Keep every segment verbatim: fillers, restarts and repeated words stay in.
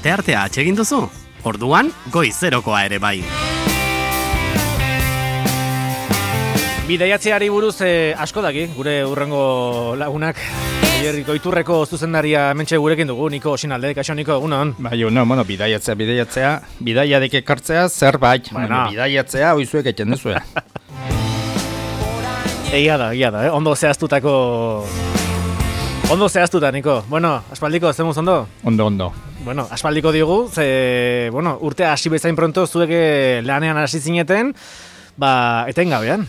asteartea atsegin duzu? Orduan, goizerokoa ere bai. Bidaiatzeari buruz eh, asko daki, gure urrengo lagunak. Herriko Iturreko zuzendaria hementxe gurekin dugu, Niko Osinalde. Kaixo, Niko, egunon. Bai, no, bueno, bidaiatzea, bidaiatzea, bidaiadik ekartzea zerbait, bueno. Bueno, bidaiatzea oizuek eten duzue. Egia da, egia da, eh? Ondo zehaztutako... Ondo zehaztuta, Niko. Bueno, aspaldiko, zemuz ondo? Ondo, ondo. Bueno, aspaldiko digu, ze, bueno, urtea hasi bezain pronto zuek lanean hasi zineten, ba, etengabean.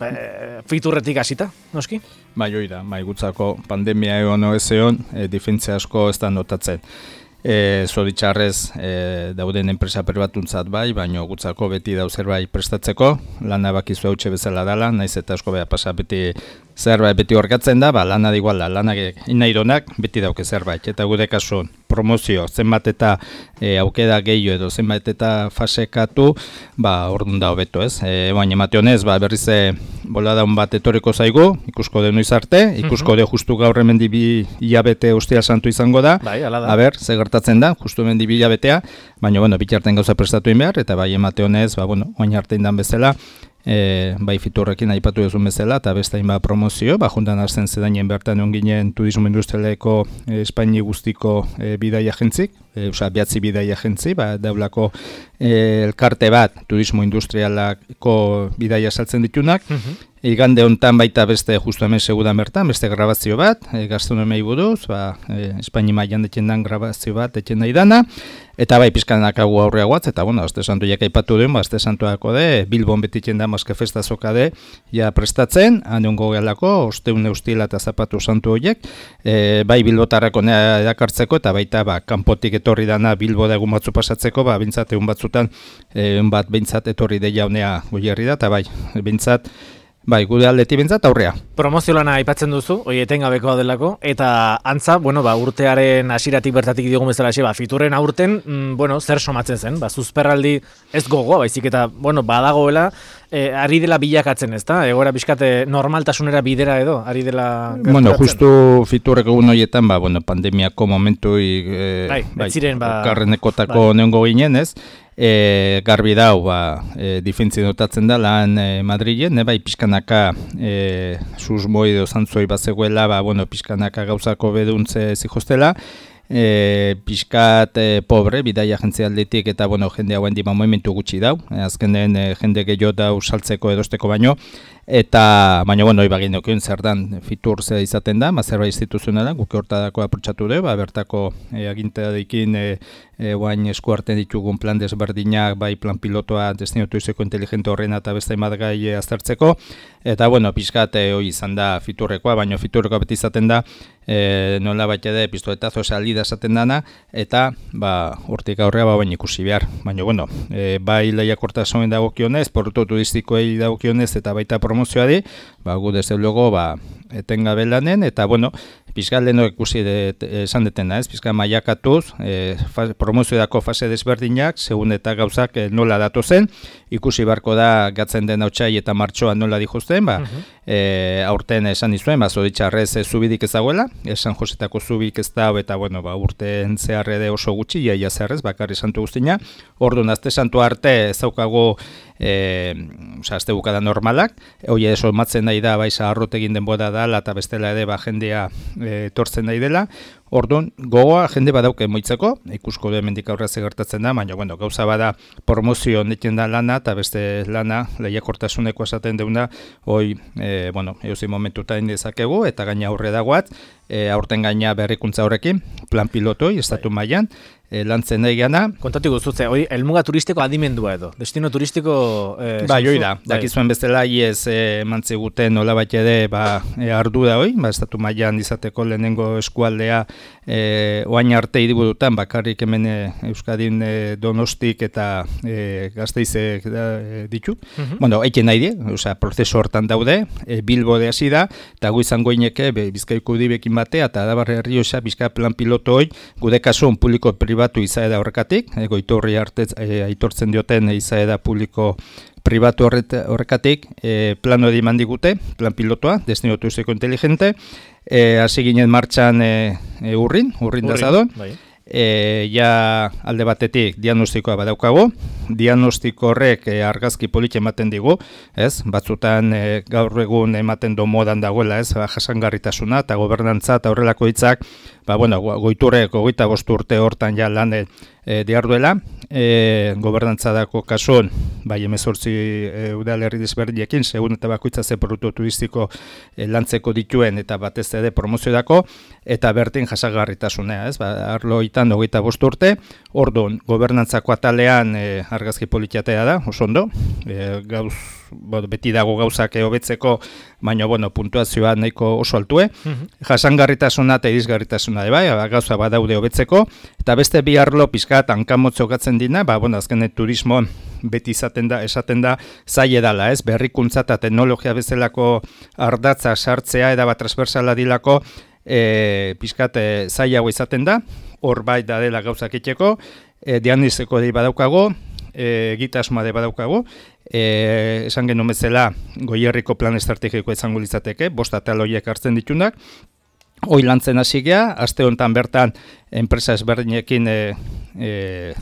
E, Fiturretik hasita, noski? Bai, hori da, bai, gutzako pandemia egon ez egon, e, difentzia asko ez da notatzen. E, Zoritxarrez e, dauden enpresa pribatuntzat bai, baino gutzako beti dau zerbait prestatzeko, lana bakizu hautxe bezala dala, naiz eta asko beha pasa beti zerbait beti horkatzen da, ba, lana da igual da, lanak inaironak beti dauke zerbait, eta gure kasun promozio, zenbat eta e, aukeda gehiago edo zenbat eta fasekatu, ba, orduan da hobeto ez. E, baina emate honez, ba, berriz boladaun bat etoriko zaigu, ikusko de noiz arte, ikusko de justu gaur hemen bi hilabete ostia santu izango da, bai, ala da. A ber, ze gertatzen da, justu hemen bi hilabetea, baina, bueno, bitarten gauza prestatu in behar, eta bai emate honez, ba, bueno, oin arte indan bezala, E, bai Fiturrekin aipatu duzun bezala eta beste hainbat promozio, ba juntan hasten zedainen bertan egon ginen turismo industrialeko e, Espaini guztiko e, bidai agentzik, e, osea behatzi bidai agentzi, ba daulako e, elkarte bat turismo industrialako bidaia saltzen ditunak. Uh-huh. Igande hontan baita beste justu hemen segudan bertan, beste grabazio bat, e, gastronomei buruz, ba e, Espaini mailan deten dan grabazio bat eten nahi dana. Eta bai pizkanak hau aurreagoatz, eta bueno, Aste Santuak aipatu duen, ba Aste Santuako de Bilbon betitzen da maske festa zokade ja prestatzen, hanongo gelako osteun eustila eta zapatu santu horiek, e, bai bilbotarrako erakartzeko eta baita ba kanpotik etorri dana Bilbo da egun batzu pasatzeko, ba bintzat egun batzutan egun bat bintzat etorri deia honea goierri da, eta bai bintzat bai, gure aldeti bintzat aurrea. Promozio lana aipatzen duzu, hori etengabekoa delako, eta antza, bueno, ba, urtearen hasieratik bertatik diogun bezala xe, ba, Fiturren aurten, mm, bueno, zer somatzen zen, ba, zuzperraldi ez gogoa, baizik eta, bueno, badagoela, e, ari dela bilakatzen, ez da? Egoera bizkate normaltasunera bidera edo, ari dela gerturatzen. Bueno, justu Fiturrek egun horietan, ba, bueno, pandemiako momentu e, bai, bai, ziren, ba, karrenekotako bai. Neongo ginen, ez? E, garbi dau, ba, e, difentzi notatzen da lan e, Madrilen, ne, bai, pixkanaka e, susmoi edo zantzoi bat zegoela, ba, bueno, pixkanaka gauzako beduntze zihostela, e, pixkat e, pobre, bidai agentzia aldetik, eta, bueno, jende hauen dima momentu gutxi dau, e, azkenen e, jende gehiago dau saltzeko edosteko baino, eta, baina, bueno, ibagin okien zer dan Fitur ze izaten da, mazerba instituzionala, guke hortadako aprotxatu du, ba, bertako e, agintadekin e, e, guain esku hartzen ditugun plan desberdinak, bai plan pilotoa destinatu izeko inteligente horrena eta beste bat gai e, aztertzeko, eta, bueno, pixkat e, hoi izan da Fiturrekoa, baina Fiturrekoa beti izaten da, e, nola baita ere pistoletazo salida esaten dana, eta, ba, hortik aurrea ba, bain ikusi behar, baina, bueno, e, bai lehiakortasunen dagokionez, portu turistikoei dagokionez, eta baita promozioari, ba, gu desde luego, ba, etengabe lanen, eta, bueno, pizkat leheno ikusi de, esan detena, ez, pizkat maiakatuz, e, promozioedako fase desberdinak, segun eta gauzak e, nola datu zen, ikusi barko da gatzen den hautsai eta martxoan nola dijuzten, ba, uh-huh. e, aurten esan izuen, ba, Zoritxarrez e, zubidik ezaguela, San Josetako zubik ez da, eta, bueno, ba, urten zeharrede oso gutxi, iaia zeharrez, bakarri santu guztina, orduan, Aste Santu arte ezaukago E, oza, azte bukada normalak, hoi eso matzen nahi da, bai zaharrot egin denbora dala eta bestela ere ba, jendea e, tortzen nahi dela. Orduan, gogoa jende badauke moitzeko, ikusko du hemendik aurrera ze gertatzen da, baina bueno, gauza bada promozio neten da lana eta beste lana lehiakortasuneko esaten deuna, hoi, e, bueno, eusi momentutan dezakegu eta gaina aurre dagoat, e, aurten gaina berrikuntza horrekin, plan pilotoi, estatu mailan, e, lantzen nahi gana. Kontatu guztutze, hori, helmuga turistiko adimendua edo, destino turistiko... E, bai, hoi da, dakizuen bestela, iez e, mantziguten nola bat ere, ba, e, ardu da hoi, ba, estatu mailan izateko lehenengo eskualdea, e, oain arte hiriburutan, bakarrik hemen e, Euskadin e, Donostik eta e, Gasteize e, ditu. Uh-huh. Bueno, eiken nahi die, osea, prozesu hortan daude, e, Bilbo de hasi da, eta gu izango ineke, Bizkaiko udibekin batea, eta Adabar Errioxa, Bizka plan piloto hoi, gude kasun publiko pribatu izaeda horrekatik, e, goitorri hartez, e, aitortzen dioten izaeda publiko pribatu horrekatik, e, plano edi mandigute, plan pilotoa, destino turiziko inteligente, hasi e, ginen martxan e, e, urrin, urrin dazadon, bai. E, ja alde batetik diagnostikoa badaukago, diagnostiko horrek e, argazki polit ematen digu, ez? Batzutan e, gaur egun ematen do modan dagoela, ez? Ba, jasangarritasuna eta gobernantza eta horrelako hitzak, ba, bueno, goiturrek hogeita bost urte hortan ja lan e, diarduela, e, gobernantzadako kasuan, bai hemezortzi e, udalerri desberdinekin, segun eta bakoitza ze produktu turistiko e, lantzeko dituen eta batez ere promoziodako, eta bertin jasangarritasuna, ez? Ba, arlo itan hogeita bost urte, orduan, gobernantzako atalean e, argazki politiatea da, oso ondo, e, gauz, bo, beti dago gauzak hobetzeko, baina, bueno, puntuazioa nahiko oso altue, mm-hmm. jasangarritasuna eta irisgarritasuna de bai, gauza badaude hobetzeko, eta beste bi arlo pizkat hankamotzo gatzen dina, ba, bueno, azken turismo beti izaten da, esaten da, zaila dala, ez, berrikuntza eta teknologia bezalako ardatza sartzea, eta bat transversala dilako, e, pizkat e, zailago izaten da, hor bai da dela gauzak itxeko, e, diagnostiko dei badaukago, e, egitasmoa de badaukago, e, esan genuen bezala Goierriko plan estrategiko izango litzateke, bost atal horiek hartzen ditunak, hoi lantzen hasi gea, aste honetan bertan enpresa ezberdinekin e, e,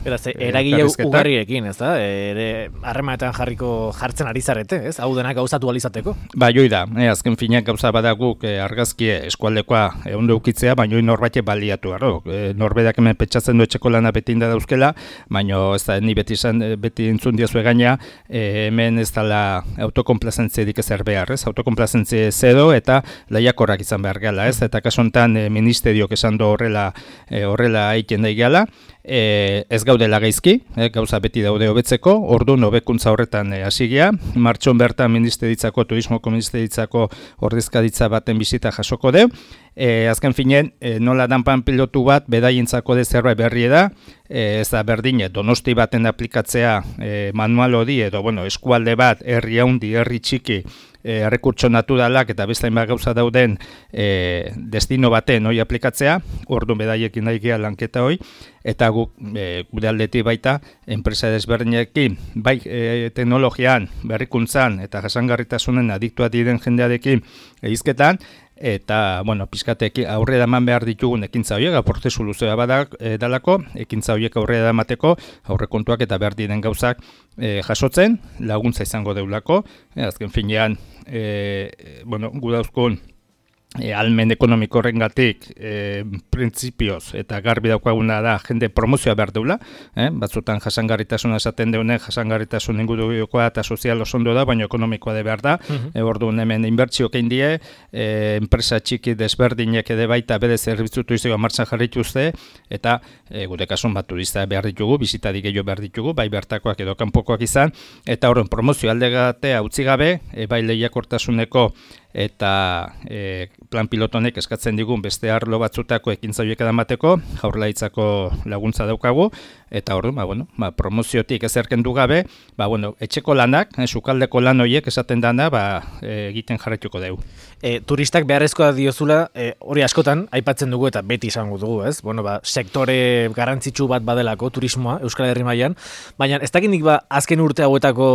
Beraz, eragile ugarriekin, ez da? Ere harremanetan jarriko jartzen ari zarete, ez? Hau denak gauzatu alizateko? Ba, joi da, e, azken finak gauza badaguk e, argazkie eskualdekoa e, ondo ukitzea, baina hoi norbait baliatu garo. E, norbedak hemen petxatzen du etxeko lana beti inda dauzkela, baina ez da, ni beti, izan, beti entzun diazu egaina, e, hemen ez dala autokomplazentziadik ezer behar, ez? Autokomplazentzia zedo eta lehiakorrak izan behar gala, ez? Eta kasontan e, ministeriok esan do horrela e, horrela aiken daigala, e, ez gaudela gaizki, e, gauza beti daude hobetzeko, orduan hobekuntza horretan hasi e, gea, martxon bertan ministeritzako, turismoko ministeritzako ordezkaritza baten bizita jasoko deu, e, azken finen, e, nola danpan pilotu bat, bedaientzako de zerbait berri da, e, ez da berdine, donosti baten aplikatzea e, manual hori, edo bueno, eskualde bat, herri haundi, herri txiki, E, errekurtso naturalak eta beste hainbat gauza dauden e, destino baten hori aplikatzea, orduan bedaiekin nahi gea lanketa hori, eta guk e, gure aldetik baita enpresa desberdinekin, bai e, teknologian, berrikuntzan eta jasangarritasunen adiktua diren jendearekin egizketan, eta, bueno, pizkatek aurrera eman behar ditugun ekintza horiek, prozesu luzea badak e, dalako, ekintza horiek aurrera emateko, aurrekontuak eta behar diren gauzak e, jasotzen, laguntza izango deulako, e, azken finean, e, bueno, gu dauzkun, E, almen ekonomiko horrengatik e, printzipioz eta garbi daukaguna da jende promozioa behar deula, eh? Batzutan jasangarritasuna esaten deunen, jasangarritasun ingurukoa eta sozial osondo da, baina ekonomikoa de behar da, uh-huh. e, orduan hemen inbertsioak egin die, e, enpresa txiki desberdinek ede baita bere zerbitzu turistikoa martxan jarrituzte, eta e, gure kasun bat turista behar ditugu, bizitadik gehiago behar ditugu, bai bertakoak edo kanpokoak izan, eta horren promozio aldegatea utzi gabe, e, bai lehiakortasuneko eta e, plan pilotonek eskatzen digun beste arlo batzutako ekintza horiek edamateko, Jaurlaritzako laguntza daukagu, eta hor, ba, bueno, ba, promoziotik ezerken du gabe, ba, bueno, etxeko lanak, eh, sukaldeko lan horiek esaten dana, ba, e, egiten jarraituko dugu. E, turistak beharrezkoa diozula, e, hori askotan, aipatzen dugu eta beti izango dugu, ez? Bueno, ba, sektore garrantzitsu bat badelako, turismoa, Euskal Herri mailan, baina ez dakindik ba, azken urte hauetako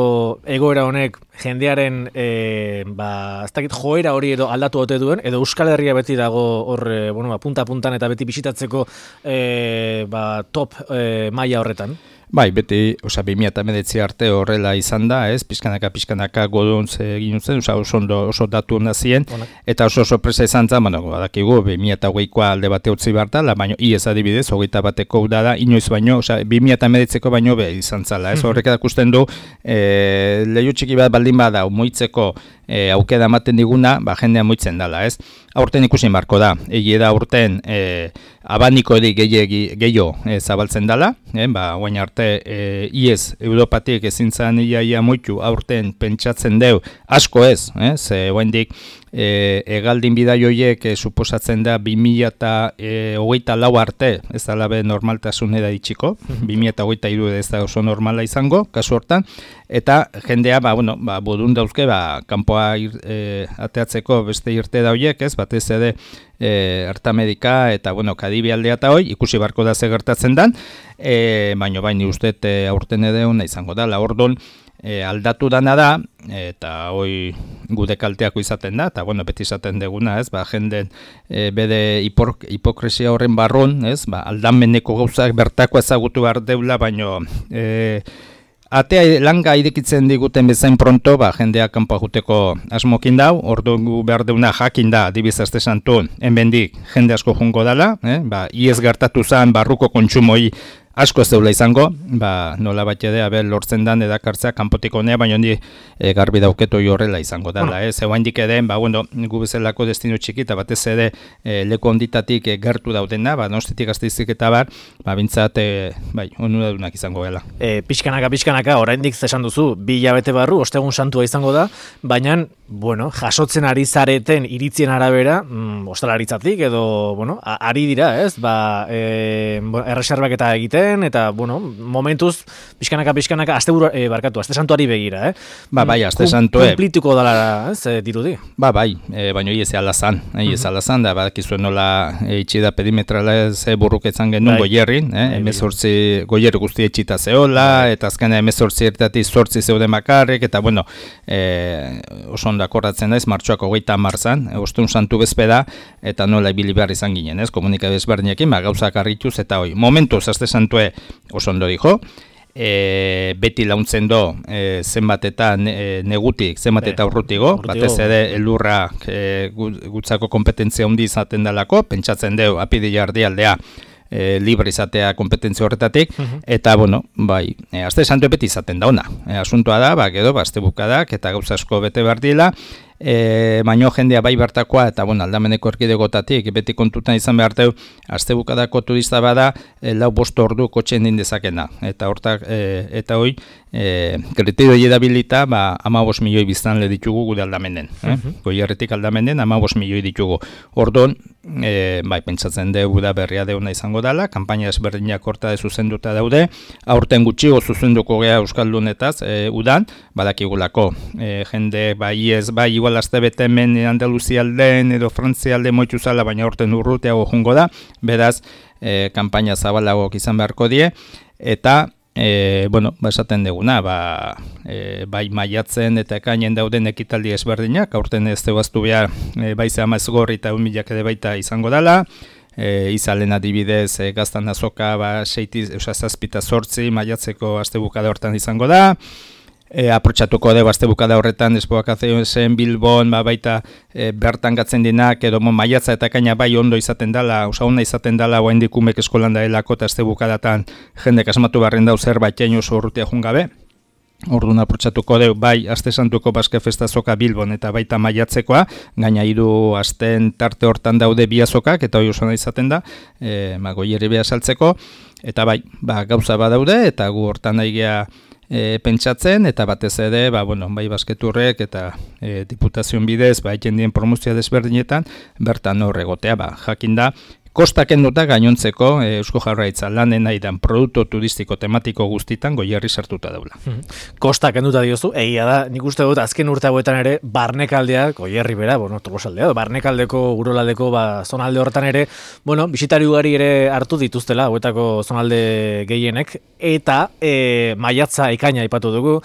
egoera honek jendearen, e, ba, ez dakit joera hori edo aldatu ote duen, edo Euskal Herria beti dago hor, e, bueno, ba, punta-puntan eta beti bisitatzeko e, ba, top e, maila horretan. Bai, beti, osea, bi mila hemeretzi arte horrela izan da, ez, pizkanaka, pizkanaka goduntz egin zen, osea, oso, ondo, oso datu hona ziren, eta oso sorpresa izan zen, bueno, badakigu, bi mila hogeikoa alde bate utzi bartala, baino, iez adibidez, hogeita bateko da, inoiz baino, osea, bi mila hemeretziko baino be izan zala, ez, horrek erakusten du, e, lehiu txiki bat baldin bada, moitzeko e, aukera ematen diguna, ba, jendea moitzen dala, ez, aurten ikusin barko da, egie da aurten, e, abaniko eri gehiago e, zabaltzen dala, e, ba, guain arte, e, iez, Europatik ezin zan iaia moitu aurten pentsatzen deu, asko ez, eh, ze guain dik, e, egaldin bidai horiek e, suposatzen da bi mila hogeita lau arte, ez da labe normaltasunera ditxiko, bi mila hogeita hiru ez da oso normala izango, kasu hortan, eta jendea, ba, bueno, ba, bodun dauzke, ba, kanpoa ir, e, ateatzeko beste irte da horiek, ez, batez ere, E, Artamedika eta bueno, Kadibi aldea eta hoi, ikusi barko da ze gertatzen dan, e, baino baini uste e, aurten edeuna izango da, la ordon, e, aldatu dana da, eta hoi gude kalteako izaten da, eta bueno, beti izaten deguna, ez, ba, jenden e, bede hipok, hipokresia horren barrun, ez, ba, aldameneko gauzak bertako ezagutu behar deula, baino e, atea langa irekitzen diguten bezain pronto, ba, jendeak kanpoa juteko asmokin dau, ordu behar deuna jakin da, adibiz aste santun, enbendik jende asko jungo dala, eh? Ba, iez gertatu zan barruko kontsumoi asko ez deula izango, ba, nola bat edea ber lortzen dan edakartzea kanpotik honea, baina hondi e, garbi dauketo horrela izango dela. Eh? Zeu handik eden, ba, bueno, gu bezalako destino txiki, eta batez ere e, leku onditatik e, gertu daudena, ba, nostetik Gasteizik eta bar, ba, bintzat, e, bai, onuradunak izango gela. E, pixkanaka, pixkanaka, oraindik zesan duzu, bi hilabete barru, ostegun santua izango da, baina, bueno, jasotzen ari zareten iritzien arabera, mm, ostalaritzatik, edo, bueno, a, ari dira, ez, ba, e, erreserbak eta egiten, eta, bueno, momentuz, pixkanaka, pixkanaka, asteburu, e, barkatu, aste santuari begira, eh? Ba, bai, aste santue. Kumplituko dala, ez, e, dirudi? Ba, bai, e, baina hi ez alazan, hi ez alazan, da, badakizuen nola e, itxida perimetrala ez e, burruketzan genuen bai. Goierrin, eh? emezortzi, goierri guzti etxita zehola, bai. Eta azkena emezortzi ertatik zortzi zeuden bakarrik, eta, bueno, e, oso ondo akordatzen daiz, martxoak hogeita marzan, e, ostun santu bezpeda, eta nola ibili behar izan ginen, ez, komunikabez berdinekin, ba, gauzak arrituz, eta hoi, momentuz, aste santu oso ondo dijo, e, beti launtzen do e, zenbat eta ne, negutik, zenbat eta urrutigo, batez ere elurra e, gutzako kompetentzia handi izaten dalako, pentsatzen deu apidi jardialdea e, libre izatea kompetentzia horretatik, uh-huh. Eta, bueno, bai, e, aste santu beti izaten da ona. E, asuntoa da, ba, gero, ba, aste bukadak eta gauza asko bete behar dila, E, baino jendea bai bertakoa eta bueno, aldameneko erkidegotatik beti kontutan izan behar deu, aste bukadako turista bada e, lau bost ordu kotxen din dezakena eta hortak e, eta hoi e, kriterio edabilita ba, amabos milioi biztanle ditugu gure aldamenen, eh? Uh-huh. Goierritik aldamenen amabos milioi ditugu. Orduan, e, bai, pentsatzen dugu da berria deuna izango dela, kanpaina ezberdinak horta de zuzenduta daude, aurten gutxigo zuzenduko gea Euskaldunetaz e, udan, badakigulako e, jende bai ez bai igual aste bete hemen Andaluzia aldean edo Frantzia alde moitzu zala, baina horten urruteago jungo da, beraz, e, kanpaina zabalagok izan beharko die, eta, e, bueno, ba esaten deguna, ba, e, bai maiatzen eta ekainen dauden ekitaldi ezberdinak, aurten ez deuaztu behar, e, baize amazgorri eta unmilak ede baita izango dela, e, izalen adibidez, e, gaztan azoka, ba, seitiz, eusa zazpita sortzi, maiatzeko astebukada hortan izango da, E, aprotxatuko dugu azte bukada horretan espoakazioen zen Bilbon, ba, baita e, bertan gatzen dinak, edo mo, maiatza eta kaina bai ondo izaten dela, osa ona izaten dela, oain dikumek eskolan daelako eta azte bukadatan jendek asmatu barren dau zerbait jain oso urrutia jungabe. Orduan aprotxatuko dugu, bai, aste santuko Baske Festa Azoka Bilbon eta baita maiatzekoa, gaina hiru asten tarte hortan daude bi azokak, eta hori oso ona izaten da, e, ma, goierri beha saltzeko, eta bai, ba, gauza badaude, eta gu hortan nahi gea E, pentsatzen, eta batez ere, ba, bueno, bai basketurrek eta e, diputazion bidez, ba, jendien promozioa desberdinetan, bertan hor egotea, ba, jakin da, kostak enduta gainontzeko e, Eusko Jaurlaritza lanen aidan produktu turistiko tematiko guztitan Goierri sartuta daula. Hmm. Kostak enduta diozu, egia da, nik uste dut azken urte hauetan ere barnekaldea, Goierri bera, bueno, Tolosaldea, barnekaldeko, urolaldeko, ba, zonalde horretan ere, bueno, bisitari ugari ere hartu dituztela, hauetako zonalde gehienek, eta e, maiatza ekaina aipatu dugu.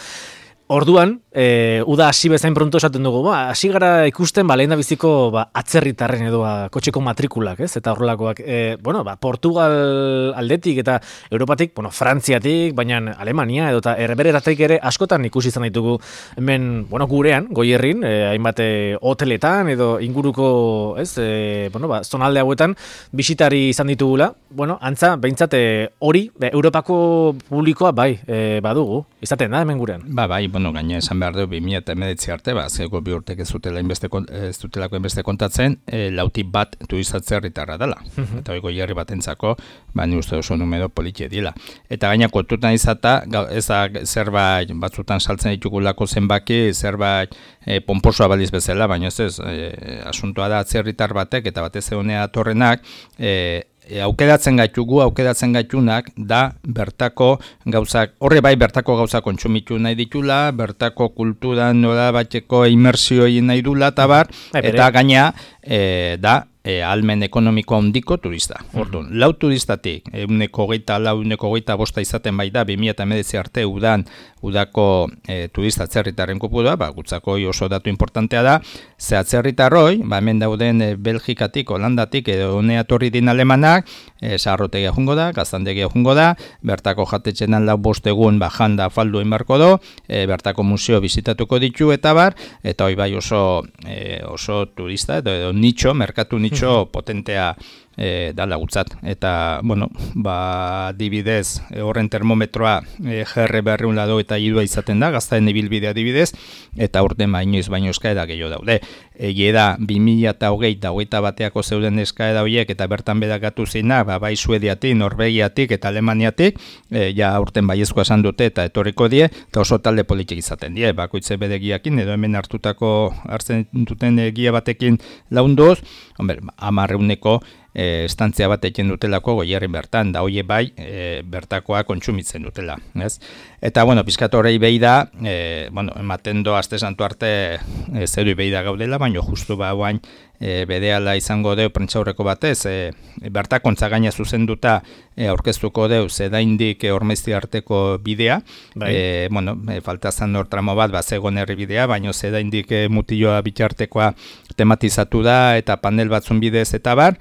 Orduan, e, uda hasi bezain pronto esaten dugu, ba, hasi gara ikusten, ba, lehen da biziko ba, atzerritarren edo ba, kotxeko matrikulak, ez? Eta horrelakoak, e, bueno, ba, Portugal aldetik eta Europatik, bueno, Frantziatik, baina Alemania edo eta erbereratik ere askotan ikusi izan ditugu hemen, bueno, gurean, Goierrin, e, hainbat hoteletan edo inguruko, ez, e, bueno, ba, zonalde hauetan bisitari izan ditugula, bueno, antza, behintzat hori, e, Europako publikoa bai, e, badugu, izaten da hemen gurean. Ba, bai, bueno, gaina esan behar dugu bi mila hemeretzi arte, ba, zego bi urtek ez dutela inbeste, ez dutelako inbeste kontatzen, e, lauti bat turizatze herritarra dela. Uh-huh. Eta hori Goierri batentzako, ba, ni uste oso numero politie dila. Eta gaina kontutan izata, ez da zerbait batzutan saltzen ditugulako zenbaki, zerbait e, pomposoa baliz bezala, baina ez ez, e, asuntoa da atzerritar batek, eta batez egonea atorrenak, e, E, aukeratzen gaitugu, aukeratzen gaitunak da bertako gauzak, horre bai bertako gauzak kontsumitu nahi ditula, bertako kulturan nola bateko imersio egin nahi dula, eta bar, eta gaina e, da E, almen ekonomiko handiko turista. Orduan, mm-hmm. lau turistatik, euneko hogeita lau, euneko hogeita bosta izaten bai da, bi mila hemeretzi arte udan, udako e, turista atzerritarren kopurua, ba, gutzako oso datu importantea da, ze atzerritarroi, ba, hemen dauden e, Belgikatik, Holandatik, edo honea torri din alemanak, e, saharrotegia jungo da, gaztandegia jungo da, bertako jatetxenan lau bost egun, ba, janda faldu inbarko do, e, bertako museo bizitatuko ditu, eta bar, eta hoi bai oso, e, oso turista, edo, edo nitxo, merkatu nitxo, Itxo potentea e, da lagutzat. Eta, bueno, ba, dibidez, e, horren termometroa e, G R berreun lado eta idua izaten da, gaztaen ibilbidea dibidez, eta urten bainoiz baino eskaeda gehiago daude. Egie da, bi mila eta hogei eta hogeita bateako zeuden eskaeda horiek, eta bertan bedakatu zina, ba, bai Suediatik, Norvegiatik eta Alemaniatik, e, ja urten baiezkoa esan dute eta etorriko die, eta oso talde politik izaten die, bakoitze bedegiakin, edo hemen hartutako hartzen duten egia batekin launduz, hombre, amarreuneko e, estantzia bat eken dutelako goierrin bertan, da hoie bai e, bertakoa kontsumitzen dutela. Ez? Eta, bueno, pizkat horrei behi da, e, bueno, ematen do aste santu arte e, zeru behi da gaudela, baina justu ba guain e, bedeala izango deu prentsaurreko batez, e, bertakontza gaina zuzenduta e, aurkeztuko deu zedaindik e, Ormaizti arteko bidea, bai. e, bueno, e, falta zan hor tramo bat, ba, zegon herri bidea, baina zedaindik e, mutilloa bitartekoa tematizatu da, eta panel batzun bidez eta bar,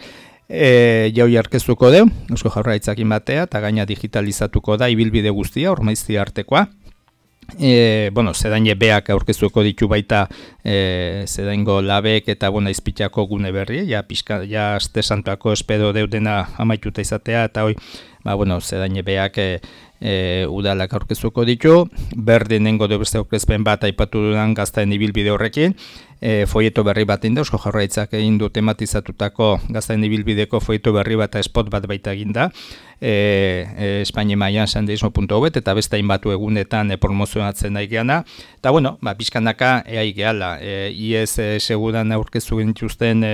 E, jaui arkeztuko deu, Eusko Jaurlaritzakin batea, eta gaina digitalizatuko da ibilbide guztia, Ormaizti artekoa. E, bueno, zedaine beak aurkeztuko ditu baita e, zedaingo labek eta bona izpitako gune berri, ja, pixka, ja aste santuako espedo deudena amaituta izatea, eta hoi, ba, bueno, zedaine beak e, e, udalak aurkeztuko ditu, berdinengo deu beste aurkezpen bat aipatu dudan gaztaen ibilbide horrekin, E, folieto berri bat inda, Eusko Jaurlaritzak egin du tematizatutako gaztaen ibilbideko folieto berri bat eta spot bat baita eginda, e, e, Espainia mailan sandeismo puntu net eta beste hainbatu egunetan e, promozionatzen nahi geana, eta bueno, ba, pixkanaka eai gehala, e, I E S seguran aurkeztu gintuzten e,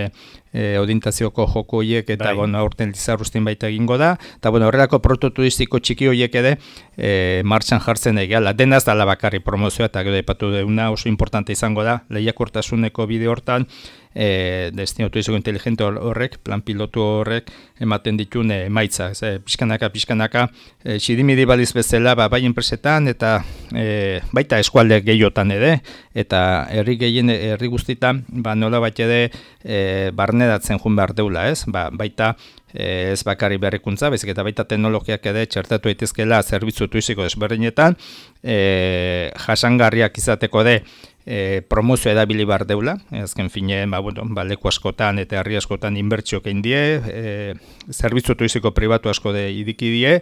e, odintazioko joko horiek eta bai. Bueno, aurten Lizarrustin baita egingo da, eta bueno, horrelako prototuristiko txiki horiek ere e, martxan jartzen nahi gehala, denaz dala bakarri promozioa eta gero epatu deuna oso importante izango da, lehiakortasun Neko bideo hortan, e, destino turistiko inteligente horrek, plan pilotu horrek, ematen ditun emaitza. E, pixkanaka, pixkanaka, e, txidimidi baliz bezala, ba, bai enpresetan, eta e, baita eskualde gehiotan ere, eta herri gehien, herri guztitan, ba, nola bat ere, e, barnedatzen jun behar deula, ez? Ba, baita, e, ez bakarri berrikuntza, bezik eta baita teknologiak ere txertatu daitezkeela zerbitzu turistiko desberdinetan, e, jasangarriak izateko de, E, promozio edabili bar deula, azken fine, ba, bueno, ba, leku askotan eta herri askotan inbertsioak egin die, e, zerbitzu turistiko pribatu asko de idiki die,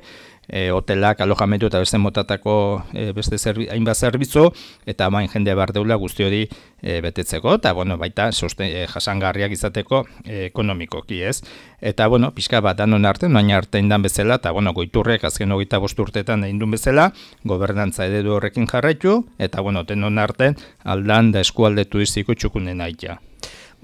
e, hotelak, alojamendu eta beste motatako e, beste zerbi, hainbat zerbitzu, eta main jende bar deula guzti hori e, betetzeko, eta bueno, baita sosten, e, jasangarriak izateko e, ekonomikoki, ez? Eta, bueno, pixka bat danon arte, noain arte indan bezala, eta, bueno, goiturrek azken hogeita bost urtetan egin duen bezala, gobernantza eredu horrekin jarraitu, eta, bueno, denon arten aldan da eskualde turistiko txukunen aitea.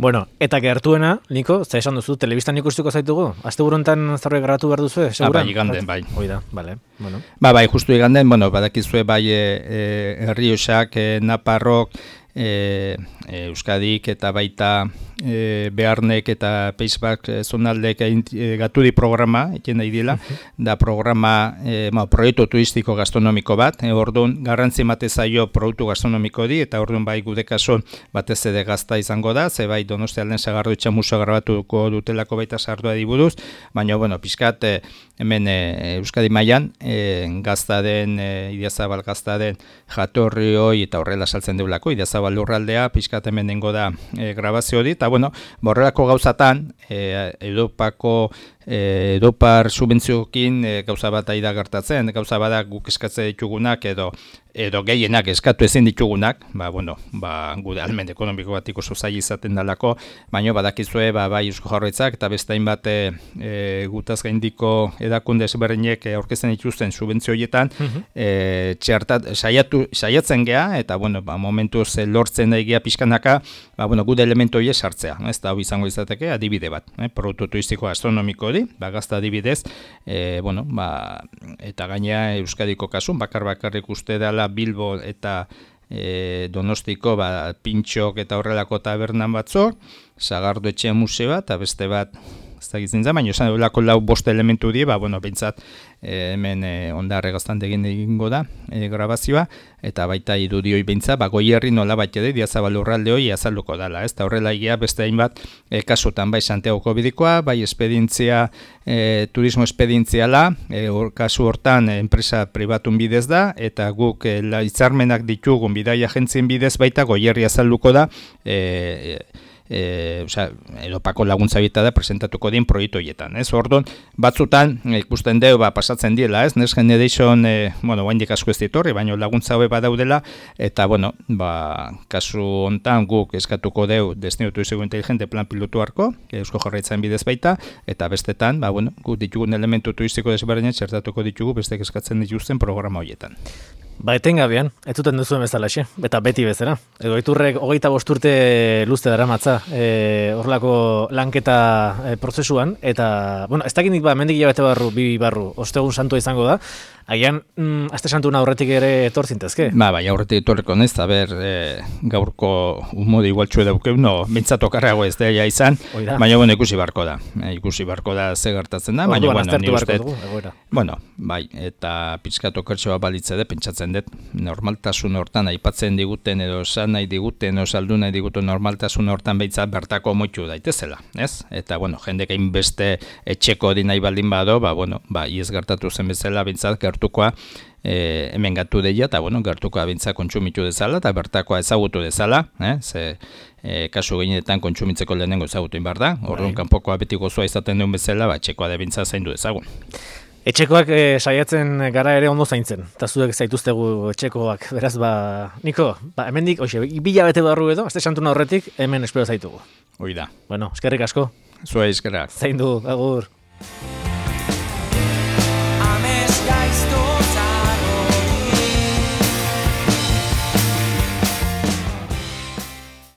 Bueno, eta gertuena, Niko, ze esan duzu, telebistan ikustiko zaitugu? Aste burontan zerbait grabatu behar duzu, seguran? Ah, bai, iganden, bai. Hoi da, bale, bueno. Ba, bai, justu iganden, bueno, badakizue bai e, e, Errioxak, e, Naparrok, e, e, Euskadik eta baita e, Bearnek eta Paisbak e, zonaldek e, gatudi programa, eken nahi dila, da programa, e, ma, proiektu turistiko gastronomiko bat, e, orduan garrantzi mate zaio produktu gastronomiko di, eta orduan bai gude kaso batez ere gazta izango da, ze bai Donostialden Sagardo Itxamuso grabatuko dutelako baita sardua diburuz, baina, bueno, pixkat, e, hemen e, Euskadi mailan e, gazta den, e, Idiazabal gazta den jatorri hoi eta horrela saltzen deulako, Idiazabal lurraldea, pixkat hemen nengo da e, grabazio hori, eta bueno, borrelako gauzatan, e, Europako E, Europar subentzioekin e, gauza bat aida gertatzen, gauza bada guk eskatzen ditugunak edo edo gehienak eskatu ezin ditugunak, ba, bueno, ba, gure almen ekonomiko bat ikuso zai izaten dalako, baina badakizue, ba, bai Eusko Jaurlaritzak eta beste hainbat e, e, gutaz gaindiko edakunde ezberdinek aurkezten dituzten subentzio horietan, uh-huh. e, txertat, saiatu, saiatzen gea, eta bueno, ba, momentuz lortzen egia pixkanaka, ba, bueno, gure elementu horiek sartzea, ez da, hau izango izateke, adibide bat, eh, produktu turistiko astronomiko hori, ba, gazta adibidez, e, bueno, ba, eta gainea Euskadiko kasun, bakar bakarrik uste dela Bilbo eta e, Donostiko ba, pintxok eta horrelako tabernan batzuk, Sagardo etxe museoa eta beste bat ez da gizen za, baina esan duelako lau bost elementu die, ba, bueno, behintzat e, hemen e, ondarre gaztandegin egingo da e, grabazioa, eta baita irudioi behintzat, ba, Goierri nola bat ede, Diazabal urralde hori azalduko dala, ez da horrela egia beste hainbat e, kasutan, bai Santiagoko bidikoa, bai espedientzia, e, turismo espedientziala, e, or, kasu hortan e, enpresa pribatun bidez da, eta guk e, la, hitzarmenak ditugun bidai agentzien bidez baita Goierri azalduko da, e, e, E, osea, Europako laguntza bita da presentatuko dien proiektu horietan, ez? Orduan, batzutan ikusten deu ba pasatzen diela, ez? Next Generation, e, bueno, oraindik asko ez ditorri, baina laguntza hobe badaudela eta bueno, ba kasu hontan guk eskatuko deu destino turístico inteligente plan pilotu harko, Eusko Jaurlaritzaren bidez baita eta bestetan, ba bueno, guk ditugun elementu turistiko desberdinak txertatuko ditugu bestek eskatzen dituzten programa horietan. Ba, etengabean, ez zuten duzuen bezalaxe, eta beti bezala. Edo Iturrek hogeita bost urte luzte daramatza e, horrelako lanketa e, prozesuan, eta, bueno, ez dakinik ba, mendik hilabete barru, bi barru, ostegun santua izango da, agian, mm, aste santuna aurretik ere etor zintezke? Ba, bai, aurretik etorreko nez, a ber, e, gaurko umode igualtxue daukeu, no, bintzat okarrago ez daia izan, Oida. Baina, bueno, ikusi barko da, e, ikusi barko da ze gertatzen da, baina, bueno, ni uste, bueno, bai, eta pizkat okertxoa balitze de, pentsatzen dut, normaltasun hortan aipatzen diguten edo esan nahi diguten edo saldu nahi diguten normaltasun hortan behitzat bertako moitu daitezela, ez? Eta, bueno, jendek hain beste etxeko di nahi baldin bado, ba, bueno, ba, iez gertatu zen bezala, behintzat gertukoa e, hemen gatu deia, eta, bueno, gertukoa behintzat kontsumitu dezala, eta bertakoa ezagutu dezala, eh? Ze, e, kasu gehienetan kontsumitzeko lehenengo ezagutu inbar da, orduan kanpokoa beti gozoa izaten duen bezala, ba, etxekoa da behintzat zaindu dezagun. Etxekoak e, saiatzen gara ere ondo zaintzen, eta zuek zaituztegu etxekoak, beraz, ba, Niko, ba, hemendik, oixe, bila bete barru edo, azte santuna horretik, hemen espero zaitugu. Hoi da. Bueno, eskerrik asko. Zua eskerrak. Zaindu, agur.